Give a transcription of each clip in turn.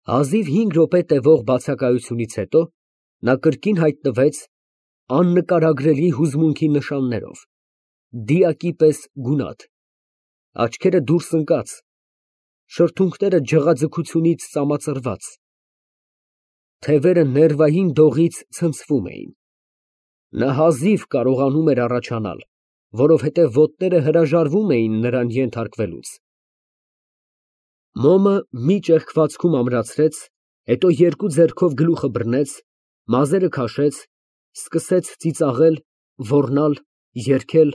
Հազիվ 5 րոպե տևող բացակայությունից հետո նա կրկին հայտնվեց աննկարագրելի հուզմունքի նշաններով, դիակի պես գունատ, աչքերը դուրս ընկած, շրթունքները ջղաձգությունից ծամածրված, թևերը ներվային դողից ցնցվում էին։ Նա հազիվ կարողանում էր առաջանալ, որովհետև ոտները հրաժարվում էին նրան ենթարկվելուց։ Մոմը մի ճեղքվածքում ամրացրեց, հետո երկու ձեռքով գլուխը բռնեց, մազերը քաշեց, սկսեց ծիծաղել, ոռնալ, երգել,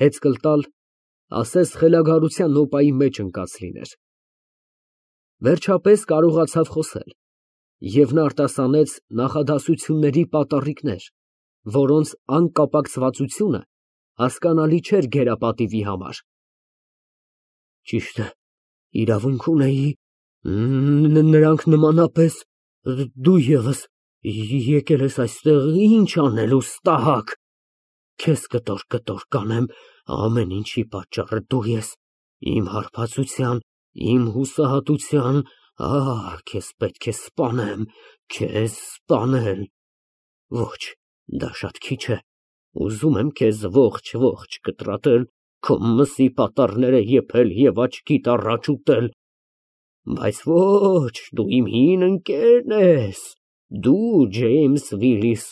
հեծկլ տալ, ասես խելագարության նոպայի մեջ ընկած լիներ։ Վերջապես կարողացավ խոսել, և նա արտասանեց նախադասությունների պատառիկներ, որոնց անկապակցվածությունը հասկանալի չէր գերապատիվի համար։ Ճիշտ է, իրավունք ունեի, նրանք նմանապես, դու ևս եկել ես այստեղ ինչ անելու, ստահակ, քեզ կտոր կանեմ, ամեն ինչի պատճառը դու ես, իմ հարբածության, իմ հուսահատության, քեզ պետք է սպանեմ, քեզ սպանել, ոչ, դա շատ քիչ է, ուզում եմ քեզ ողջ կտրատել, քո մսի պատառները եփել և աչքիդ առաջ ուտել, բայց ոչ, դու իմ հին ընկերն ես, դու Ջեյմս Վիլիս,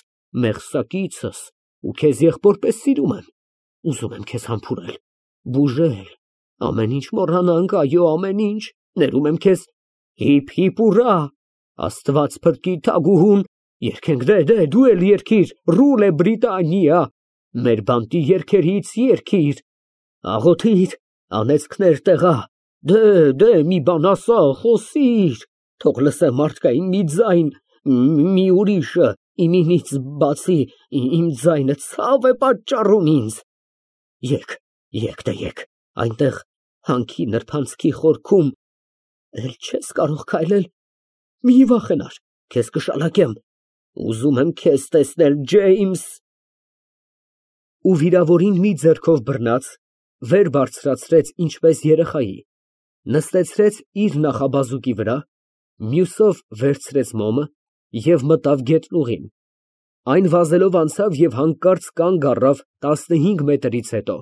մեղսակիցս, ու քեզ եղբորպես սիրում եմ, ուզում եմ քեզ համբուրել, բուժել, ամեն ինչ մոռանանք, այո, ամեն ինչ, ներում եմ քեզ, հիփ ուռա, Աստված փրկի թագուհուն, երգենք, դու էլ երգիր, Ռուլե Բրիտանիա, մեր բանտի երգերից երգիր, աղոթիր, անեծքներ տեղա, մի բան ասա, խոսիր, թող լսեմ մարդկային մի ձայն, մի ուրիշը, իմինից բացի, իմ ձայնը ցավ է պատճառում ինձ, երգ, այնտեղ հանքի նրբանցքի խորքում, էլ չես կարող քայլել, մի վախենար, քեզ կշալակեմ, ուզում եմ քեզ տեսնել, Ջեյմս։ Ու վիրավորին մի ձեռքով բռնած, վեր բարձրացրեց ինչպես երեխայի, նստեցրեց իր նախաբազուկի վրա, մյուսով վերցրեց մոմը և մտավ գետնուղին, այն վազելով անցավ և հանկարծ կանգ առավ 15 մետրից հետո։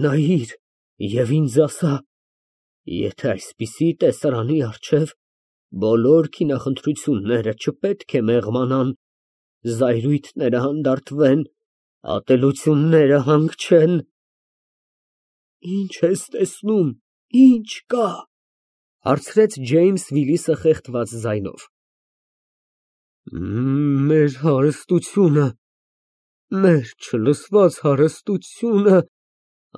Նայիր և ինձ ասա, եթե այսպիսի տեսարանի առջև բոլոր քինախնդրությունները չպետք է մեղմանան, զայրույթները հանդարտվեն, ատելությունները հանգչեն։ Ինչ ես տեսնում, ինչ կա, հարցրեց Ջեյմս Վիլիսը խեղդված ձայնով։ Մեր հարստությունը, մեր չլսված հարստությունը,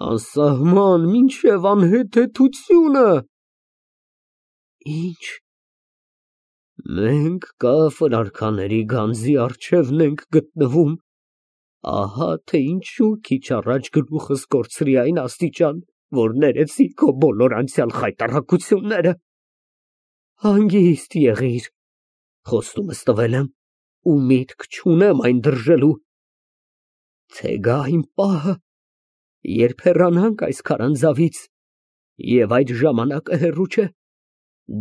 անսահման մինչև անհեթեթությունը։ Ինչ։ Մենք կաֆր արքաների գանձի առջևն ենք գտնվում, ահա թե ինչու քիչ առաջ գլուխս կորցրի այն աստիճան, որ ներեցի քո բոլոր անցյալ խայտառակությունները։ Հանգիստ եղիր, խոստումս տվել եմ ու միտք չունեմ այն դրժելու, թե գա այն պահը, երբ հեռանանք այս քարանձավից, և այդ ժամանակը հեռու չէ,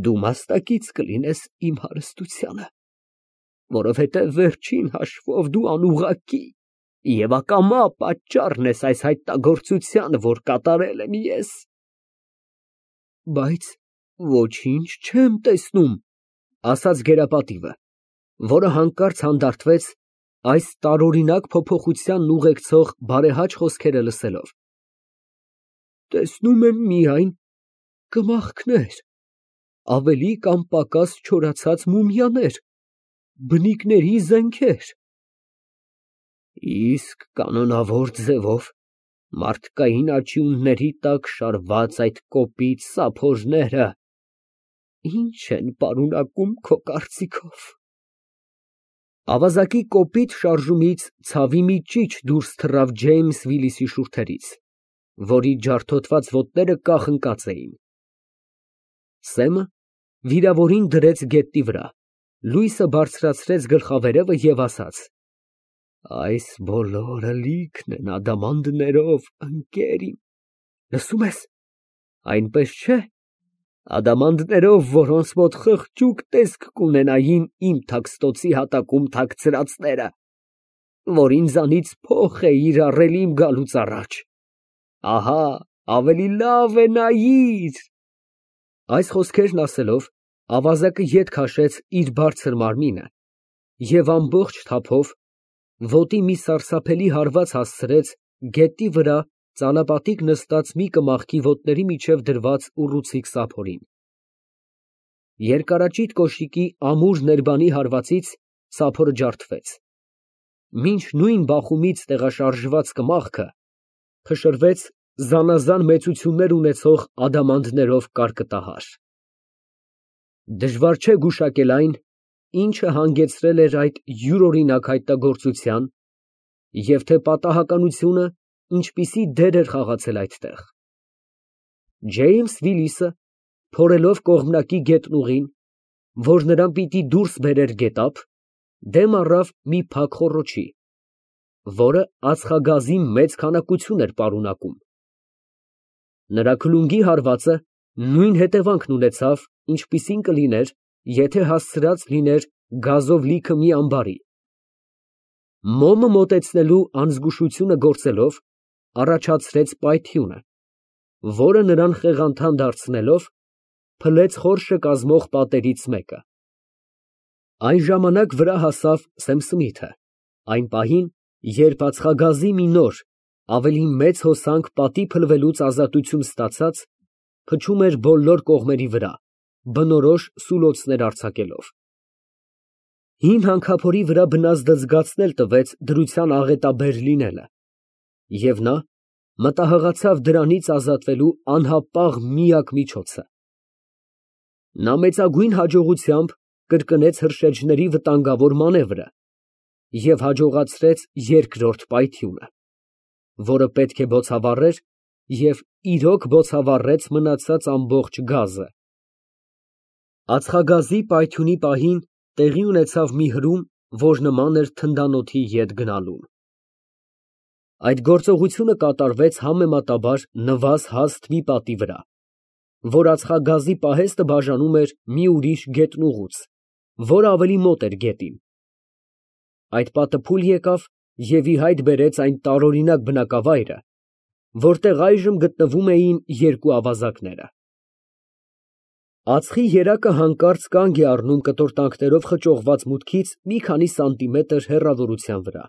դու մասնակից կլինես իմ հարստությանը, որովհետև վերջին հաշվով դու անուղղակի և ակամա պատճառն ես այս հայտնագործությանը, որ կատարել եմ ես։ Բայց ոչինչ չեմ տեսնում, ասաց գերապատիվը, որը հանկարծ հանդարտվեց այս տարօրինակ փոփոխությանն ուղեկցող բարեհաճ խոսքերը լսելով։ Տեսնում եմ միայն կմախքներ, ավելի կամ պակաս չորացած մումիաներ, բնիկների զենքեր։ Իսկ կանոնավոր ձևով մարդկային աճյունների տակ շարված այդ կոպիտ սափորները ի՞նչ են պարունակում քո կարծիքով։ Ավազակի կոպիտ շարժումից ցավի մի ճիչ դուրս թռավ Ջեյմս Վիլիսի շուրթերից, որի ջարդոտված ոտները կախ ընկած էին։ Սեմը վիրավորին դրեց գետնի վրա, լույսը բարձրացրեց գլխավերևը և ասաց. Այս բոլորը լիքն են ադամանդներով, ընկեր իմ, լսում ես, այնպես չէ, Ադամանդներով, որոնց մոտ խղճուկ տեսք կունենային իմ թաքստոցի հատակում թաքցրածները, որ ինձանից փող էիր առել իմ գալուց առաջ, ահա, ավելի լավ է նայիր։ Այս խոսքերն ասելով, ավազակը ետ քաշեց իր բարձր մարմինը և ամբողջ թափով ոտի մի սարսափելի հարված հասցրեց գետնի վրա ծալապատիկ նստած մի կմախքի ոտների միջև դրված ուռուցիկ սափորին։ Երկարաճիտ կոշիկի ամուր ներբանի հարվածից սափորը ջարդվեց, մինչ նույն բախումից տեղաշարժված կմախքը փշրվեց զանազան մեծություններ ունեցող ադամանդներով կարկտահար։ Դժվար չէ գուշակել այն, ինչը հանգեցրել էր այդ յուրօրինակ հայտնագործության և թե պատահականությունը ինչպիսի դեր էր խաղացել այդտեղ։ Ջեյմս Վիլիսը, փորելով կողմնակի գետնուղին, որ նրան պիտի դուրս բերեր գետափ, դեմ առավ մի փակ խոռոչի, որը ածխագազի մեծ քանակություն էր պարունակում։ Նրա քլունգի հարվածը նույն հետևանքն ունեցավ, ինչպիսին կլիներ, եթե հասցրած լիներ գազով լիքը մի ամբարի։ Մոմը մոտեցնելու անզգուշությունը գործելով, առաջացրեց պայթյունը, որը նրան խեղանթան դարձնելով, փլեց խորշը կազմող պատերից մեկը։ Այն ժամանակ վրա հասավ Սեմ Սմիթը, այն պահին, երբ ածխագազի մի նոր, ավելի մեծ հոսանք պատի փլվելուց ազատություն ստացած, փչում էր բոլոր կողմերի վրա, բնորոշ սուլոցներ արձակելով։ Հին հանքափորի վրա բնազդը զգացնել տվեց դրության աղետաբեր լինելը, և նա մտահղացավ դրանից ազատվելու անհապաղ միակ միջոցը։ Նա մեծագույն հաջողությամբ կրկնեց հրշեջների վտանգավոր մանևրը և հաջողացրեց երկրորդ պայթյունը, որը պետք է բոցավառեր և իրոք բոցավառեց մնացած ամբողջ գազը։ Ածխագազի պայթյունի պահին տեղի ունեցավ մի հրում, որ նման էր թնդանոթի ետ գնալուն։ Այդ գործողությունը կատարվեց համեմատաբար նվազ հաստ մի պատի վրա, որ ածխագազի պահեստը բաժանում էր մի ուրիշ գետնուղուց, որը ավելի մոտ էր գետին։ Այդ պատը փուլ եկավ և ի հայտ բերեց այն տարօրինակ բնակավայրը, որտեղ այժմ գտնվում էին երկու ավազակները։ Ածխի երակը հանկարծ կանգ է առնում կտորտանքներով խճողված մուտքից մի քանի սանտիմետր հեռավորության վրա։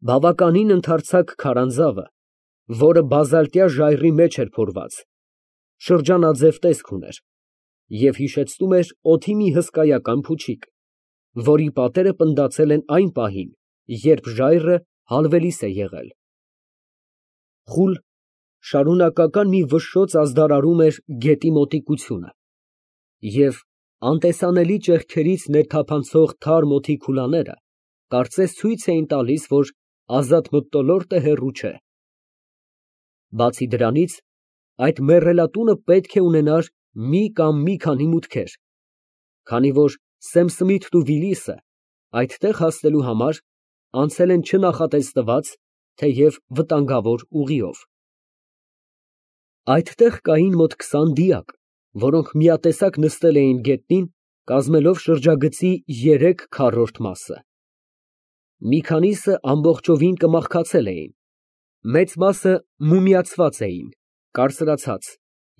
Բավականին ընդարձակ քարանձավը, որը բազալտյա ժայռի մեջ էր փորված, շրջանաձև տեսք ուներ և հիշեցնում էր օդի մի հսկայական փուչիկ, որի պատերը պնդացել են այն պահին, երբ ժայռը հալվելիս է եղել։ Խուլ, շարունակական մի վշշոց ազդարարում էր գետի մոտիկությունը, և անտեսանելի ճեղքերից ներթափանցող թարմ օդի քուլաները կարծես ցույց էին տալիս, որ ազատ մթնոլորտը հեռու չէ։ Բացի դրանից, այդ մեռելատունը պետք է ունենար մի կամ մի քանի մուտքեր, քանի որ Սեմ Սմիթն ու Վիլիսը այդտեղ հասնելու համար անցել են չնախատեսված, թեև վտանգավոր ուղիով։ Այդտեղ կային մոտ 20 դիակ, որոնք միատեսակ նստել էին գետնին, կազմելով շրջագծի 3 քառորդ մասը։ Մի քանիսը ամբողջովին կմախքացել էին, մեծ մասը մումիացված էին, կարծրացած,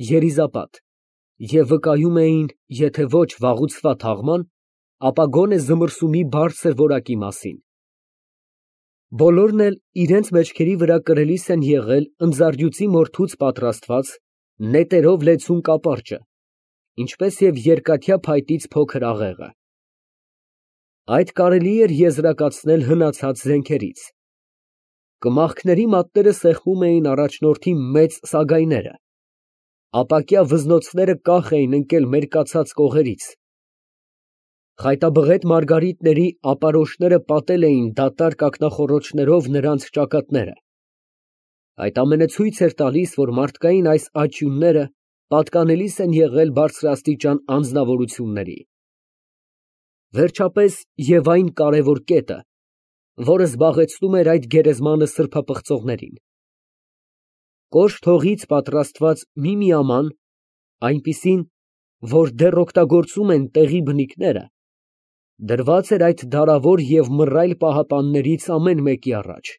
երիզապատ և վկայում էին, եթե ոչ վաղուցվա թաղման, ապա գոնե զմռսումի բարձր որակի մասին։ Բոլորն էլ իրենց մեջքերի վրա կրելիս են եղել ընձառյուծի մորթուց պատրաստված նետերով լեցուն կապարճը, ինչպես և երկաթյա փայտից փոքր աղեղը։ Այդ կարելի էր եզրակացնել հնացած զենքերից։ Կմախքների մատները սեղմում էին առաջնորդի մեծ սագայները, ապակյա վզնոցները կախ էին ընկել մերկացած կողերից։ Խայտաբղետ մարգարիտների ապարոշները պատել էին դատարկ ակնախոռոչներով նրանց ճակատները։ Այդ ամենը ցույց էր տալիս, որ մարդկային այս աճյունները պատկանելիս են եղել բարձրաստիճան անձնավորությունների։ Վերջապես և այն կարևոր կետը, որը զբաղեցնում էր այդ գերեզմանը սրբապղծողներին։ Կոշտ հողից պատրաստված մի միաման, այնպիսին, որ դեռ օգտագործում են տեղի բնիկները, դրված էր այդ դարավոր և մռայլ պահապաններից ամեն մեկի առաջ։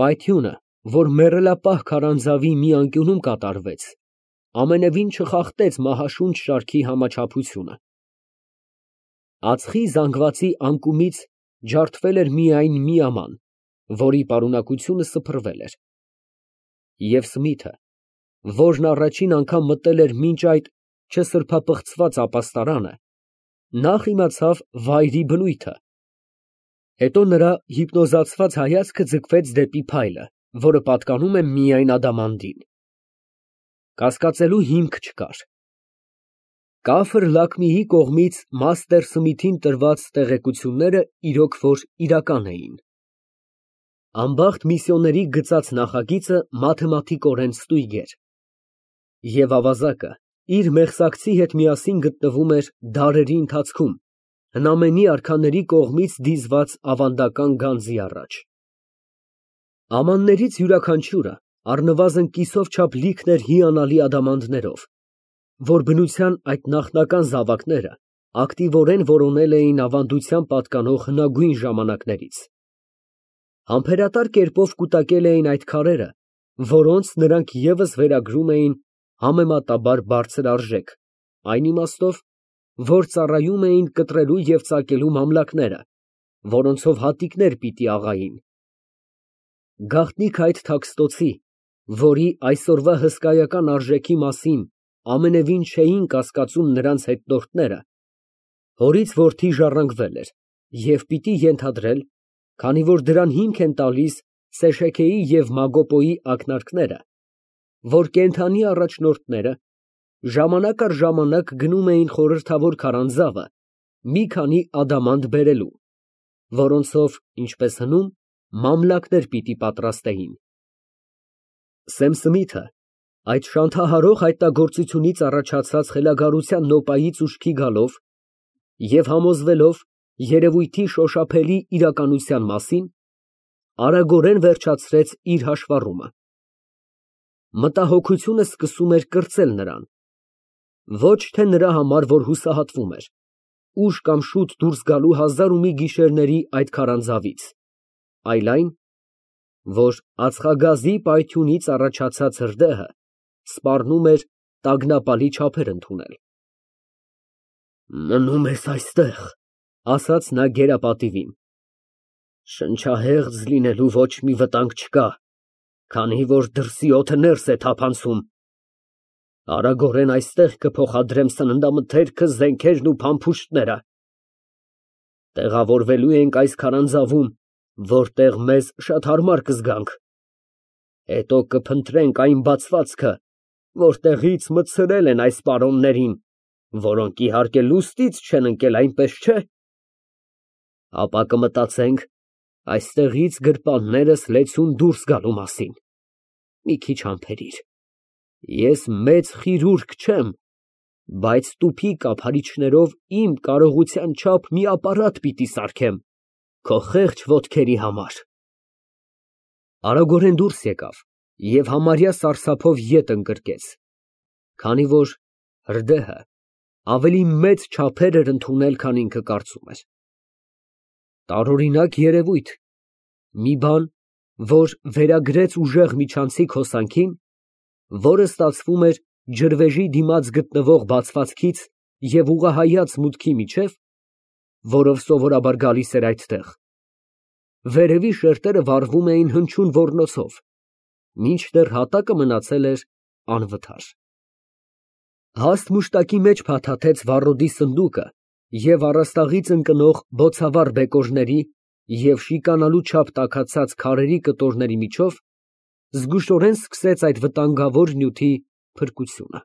Պայթյունը, որ մեռելապահ քարանձավի մի անկյունում կատարվեց, ամենևին չխախտեց մահաշունչ շարքի համաչափությունը։ Ածխի զանգվածի անկումից ջարդվել էր միայն մի աման, որի պարունակությունը սփռվել էր։ Եվ Սմիթը, որն առաջին անգամ մտել էր մինչ այդ չսրբապղծված ապաստարանը, նախ իմացավ վայրի բնույթը, հետո նրա հիպնոզացված հայացքը ձգվեց դեպի փայլը, որը պատկանում է միայն ադամանդին։ Կասկածելու հիմք չկար։ Կաֆր Լաքմիի կողմից մաստեր Սմիթին տրված տեղեկությունները իրոք որ իրական էին։ Անբախտ միսիոների գծած նախագիծը մաթեմատիկորեն ստույգ էր, և ավազակը իր մեղսակցի հետ միասին գտնվում էր դարերի ընթացքում հնամենի արքաների կողմից դիզված ավանդական գանձի առաջ։ Ամաններից յուրաքանչյուրը առնվազն կիսով չափ լիքն էր հիանալի ադամանդներով, որ բնության այդ նախնական զավակները ակտիվորեն որոնել էին ավանդության պատկանող հնագույն ժամանակներից։ Համբերատար կերպով կուտակել էին այդ քարերը, որոնց նրանք ևս վերագրում էին համեմատաբար բարձր արժեք, այն իմաստով, որ ծառայում էին կտրելու և ծակելու մամլակները, որոնցով հատիկներ պիտի աղային։ Գաղտնիք այդ թաքստոցի, որի այսօրվա հսկայական արժեքի մասին ամենևին չէին կասկածում նրանց հետնորդները, հորից որդի ժառանգվել էր և պիտի ենթադրել, քանի որ դրան հիմք են տալիս Սեշեքեի և Մագոպոյի ակնարկները, որ կենդանի առաջնորդները ժամանակ առ ժամանակ գնում էին խորհրդավոր քարանձավը մի քանի ադամանդ բերելու, որոնցով, ինչպես հնում, մամլակներ պիտի պատրաստեին։ Սեմ Սմիթը այդ շանթահարող հայտնագործությունից առաջացած խելագարության նոպայից ուշքի գալով և համոզվելով երևույթի շոշափելի իրականության մասին, արագորեն վերջացրեց իր հաշվառումը։ Մտահոգությունը սկսում էր կրծել նրան, ոչ թե նրա համար, որ հուսահատվում էր, ուշ կամ շուտ դուրս գալու հազար ու մի գիշերների այդ քարանձավից, այլ այն, որ ածխագազի պայթյունից առաջացած հրդեհը սպառնում էր տագնապալի չափեր ընդունել։ «Մնում ես այստեղ», ֊ ասաց նա գերապատիվին, «շնչահեղձ լինելու ոչ մի վտանգ չկա, քանի որ դրսի օդը ներս է թափանցում։ Արագորեն այստեղ կփոխադրեմ սննդամթերքը, զենքերն ու փամփուշտները։ Տեղավորվելու ենք այս քարանձավում, որտեղ մեզ շատ հարմար կզգանք։ Հետո կփնտրենք այն բացվածքը, որտեղից մտցրել են այս պարոններին, որոնք իհարկե լուստից չեն ընկել, այնպես չէ։ Ապա կմտածենք այստեղից գրպաններս լեցուն դուրս գալու մասին։ Մի քիչ համբերիր, ես մեծ խիրուրկ չեմ, բայց տուփի կափարիչներով իմ կարողության չափ մի ապարատ պիտի սարքեմ քո խեղճ ոտքերի համար։ Արագորեն դուրս եկավ և համարյա սարսափով ետ ընկրկեց, քանի որ հրդեհը ավելի մեծ չափեր էր ընդունել, քան ինքը կարծում էր։ Տարօրինակ երևույթ, մի բան, որ վերագրեց ուժեղ միջանցիկ հոսանքին, որը ստացվում էր ջրվեժի դիմաց գտնվող բացվածքից և ուղղահայաց մուտքի միջև, որով սովորաբար գալիս էր այդտեղ։ Վերևի շերտերը վառվում էին հնչյուն ոռնոցով, մինչդեռ հատակը մնացել էր անվթար։ Հաստ մուշտակի մեջ փաթաթեց վառոդի սնդուկը և առաստաղից ընկնող բոցավառ բեկորների և շիկանալու չափ տաքացած քարերի կտորների միջով զգուշորեն սկսեց այդ վտանգավոր նյութի փրկությունը։